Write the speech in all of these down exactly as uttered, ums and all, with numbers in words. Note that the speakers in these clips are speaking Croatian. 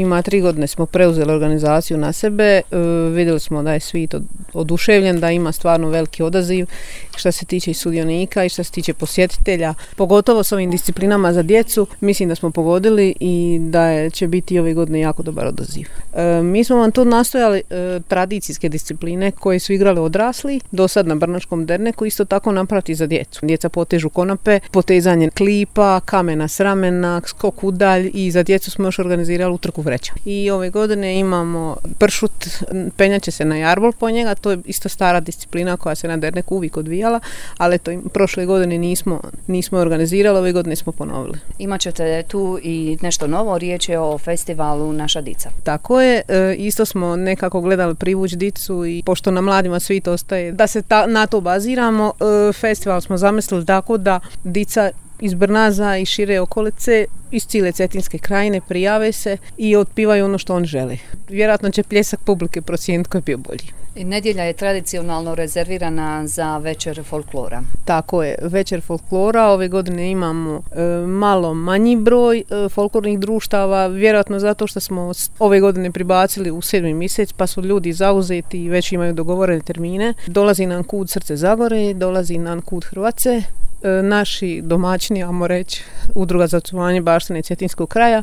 ima tri godine smo preuzeli organizaciju na sebe, e, vidjeli smo da je svit od, oduševljen, da ima stvarno veliki odaziv što se tiče i sudionika i što se tiče posjetitelja, pogotovo s ovim disciplinama za djecu. Mislim da smo pogodili i da je, će biti ove godine jako dobar odaziv. E, mi smo vam tu nastojali e, tradicijske discipline koje su igrali odrasli, do sad na Brnačkom derneku, isto tako napraviti za djecu. Djeca potežu konope, potezanje klipa, kamena s ramena, skok udalj i za djecu smo još organizirali utrku vreća. I ove godine imamo pršut, penjaće se na jarbol po njega, to je isto stara disciplina koja se na derneku uvijek odvijala, ali to prošle godine nismo, nismo organizirali, ove godine smo ponovili. Imaćete tu i nešto novo, riječ je o festivalu Naša dica. Tako je, e, isto smo nekako gledali privući dicu i pošto na mladima svi to ostaje, da se ta, na to baziramo, e, festival smo zamislili tako da dica iz Brnaza i šire okolice, iz cijele Cetinske krajine prijave se i otpivaju ono što on želi. Vjerojatno će pljesak publike procijeniti koji je bio bolji. I nedjelja je tradicionalno rezervirana za večer folklora. Tako je, večer folklora. Ove godine imamo e, malo manji broj e, folklornih društava, vjerojatno zato što smo ove godine pribacili u sedmi mjesec, pa su ljudi zauzeti i već imaju dogovorene termine. Dolazi nam kud Srce Zagore, dolazi nam kud Hrvace, e, naši domaćini, ajmo reći, Udruga za očuvanje baštine Cetinskog kraja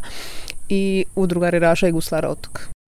i Udruga Reraša i Guslara Otok.